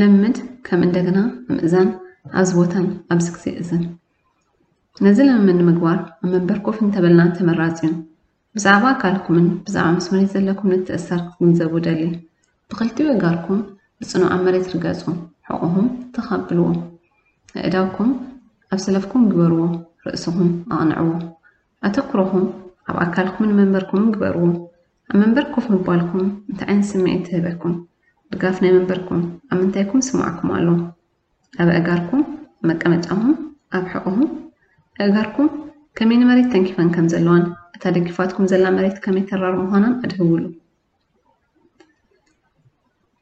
ልምምድ ከም እንደገና ምእዛን ኣብዚ ቦታን ኣብዚ ግዜ እዘን። ነዚ ልምምድ ንምግባር ኣብ መንበር ኮፍ እንተበልና ተመራጺ እዩ። ብዛዕባ ኣካልኩምን ብዛዕባ ምስ መሬት ዘለኩም ምትእስሳር ክትግንዘቡ እደሊ። ብኽልቲኡ ኣእጋርኩም ብጽኑዕ ኣብ መሬት ርገጹ፣ ሕቖኹም ትኽ ኣብልዎ። ኣእዳውኩም ኣብ ሰለፍኩም ግበርዎ፣ ርእስኹም ኣቕንዕዎ። ኣተኩሮኹም ኣብ ኣካልኩምን መንበርኩምን ግበርዎ። ኣብ መንበር ኮፍ ምባልኩም እንታይ ዓይነት ስምዒት ትህበኩም? ድጋፍ ናይ መንበርኩም ኣብ ምንታይኩም ይስምዓኩም ኣሎ? ኣብ ኣእጋርኩም፣ መቀመጫኹም፣ ኣብ ሕቖኹም፣ ኣእጋርኩም ከመይ ንመሬት ተንኪፈን ከም ዘለዋን እታ ደጊፋትኩም ዘላ መሬት ከመይ ተራር ምዃናን ኣድህብሉ።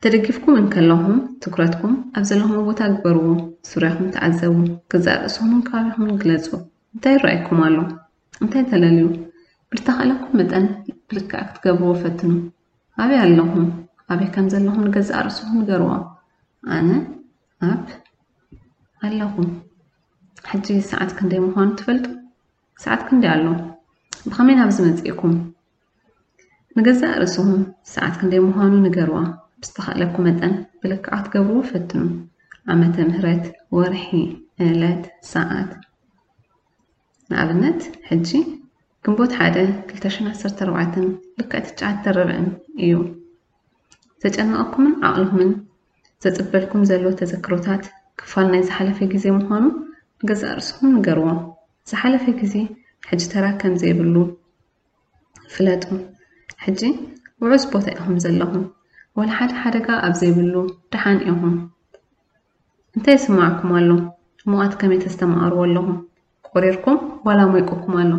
ተደጊፍኩም እንከለኹም ትኩረትኩም ኣብ ዘለኹም ቦታ ግበርዎ። ዙርያኹም ተዓዘቡ። ገዛእ ርእስኹምን ከባቢኹምን ግለጹ። እንታይ ይረኣየኩም ኣሎ? እንታይ ተለልዩ? ብልተኻእለኩም መጠን ብልክዕ ክትገብርዎ ፈትኑ። ኣበይ ኣለኹም? ኣበይ ከም ዘለኹም ንገዛእ ርእስኹም ንገርዎ። ኣነ ኣብ ኣለኹም። ሕጂ ሰዓት ክንደይ ምዃኑ ትፈልጡ? ሰዓት ክንደይ ኣሎ? ብኸመይ ናብዚ መጺእኩም? ንገዛእ ርእስኹም ሰዓት ክንደይ ምዃኑ ንገርዋ። ብዝተኻእለኩም መጠን ብልክዕ ክትገብርዎ ፈትኑ። ዓመተ ምህረት፣ ወርሒ፣ ዕለት፣ ሰዓት። ንኣብነት፣ ሕጂ ግንቦት ሓደ ክልተ ሽሕን ዓሰርተ ኣርባዕተን ልክዕ ትሽዓተ ርብዕን እዩ። ዘጨነቐኩምን ዓቕልኹምን ዘጽበልኩም ዘሎ ተዘክሮታት ክፋል ናይ ዝሓለፈ ግዜ ምዃኑ ንገዛእ ርእስኹም ንገርዎ። ዝሓለፈ ግዜ ሕጂ ተራ ከም ዘይብሉ ፍለጡ። ሕጂ ውሑስ ቦታ ኢኹም ዘለኹም። ዋላ ሓደ ሓደጋ ኣብ ዘይብሉ ደሓን ኢኹም። እንታይ ይስምዓኩም ኣሎ? ሙቐት ከመይ ተስተማቕርዎ ኣለኹም? ቆሪርኩም ዋላ ሞይቁኩም ኣሎ?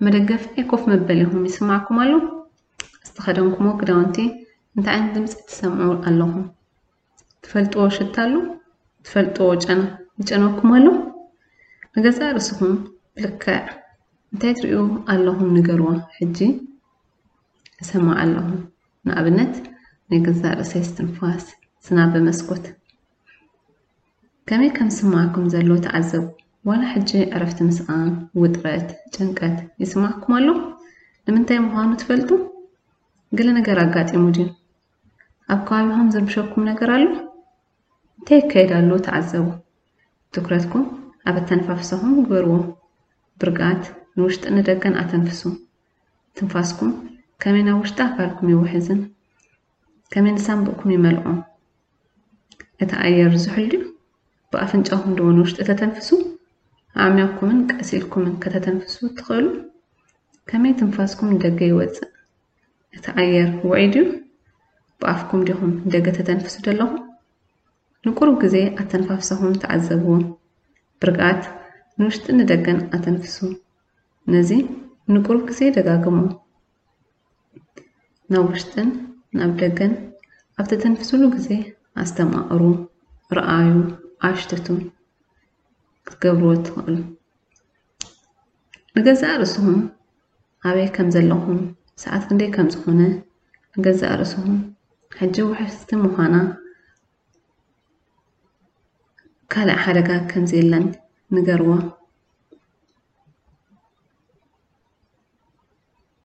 መደገፊ ናይ ኮፍ መበሊኹም ይስምዓኩም ኣሎ? ዝተኸደንኩሞ ክዳውንቲ እንታይ ዓይነት ድምፂ ትሰምዑ ኣለኹም? ትፈልጥዎ ሽታ ኣሎ? ትፈልጥዎ ጨና ይጨነኩም ኣሎ? ንገዛእ ርእስኹም ብልክዕ እንታይ ትርእዩ ኣለኹም ንገርዎ። ሕጂ እሰምዕ ኣለኹ። ንኣብነት ናይ ገዛእ ርእሰይ እስትንፋስ፣ ዝናብ ብመስኮት። ከመይ ከም ዝስምዓኩም ዘሎ ተዓዘቡ። ዋላ ሕጂ ዕረፍቲ ምስኣን፣ ውጥረት፣ ጭንቀት ይስምዓኩም ኣሎ? ንምንታይ ምዃኑ ትፈልጡ? ገለ ነገር ኣጋጢሙ ድዩ? ኣብ ከባቢኹም ዝርብሸኩም ነገር ኣሎ? እንታይ ይካየድ ኣሎ ተዓዘቡ። ትኩረትኩም ኣብ ኣተነፋፍሳኹም ግበርዎ። ብርግኣት ንውሽጥን ንደገን ኣተንፍሱ። ትንፋስኩም ከመይ ናብ ውሽጢ ኣካልኩም ይውሕዝን ከመይ ንሳንቡእኩም ይመልኦ? እቲ ኣየር ዝሑል ድዩ? ብኣፍንጫኹም ዶ ንውሽጢ ተተንፍሱ? ኣዕሚቕኩምን ቀስ ኢልኩምን ከተተንፍሱ ትኽእሉ? ከመይ ትንፋስኩም ንደገ ይወጽእ? እቲ ኣየር ውዑይ ድዩ? ብኣፍኩም ዲኹም ንደገ ተተንፍሱ ዘለኹም? ንቁሩብ ግዜ ኣተንፋፍሳኹም ተዓዘብዎ። ብርግኣት ንውሽጥን ንደገን ኣተንፍሱ። ነዚ ንቁሩብ ግዜ ደጋግሙ። ናብ ውሽጥን ናብ ደገን ኣብ ተተንፍስሉ ግዜ ኣስተማቕሩ፣ ረኣዩ፣ ኣሽትቱ ክትገብርዎ ትኽእሉ። ንገዛእ ርእስኹም ኣበይ ከም ዘለኹም፣ ሰዓት ክንደይ ከም ዝኾነ ንገዛእ ርእስኹም ሕጂ ውሕስቲ ምዃና ካልእ ሓደጋ ከም ዘየለን ንገርዋ።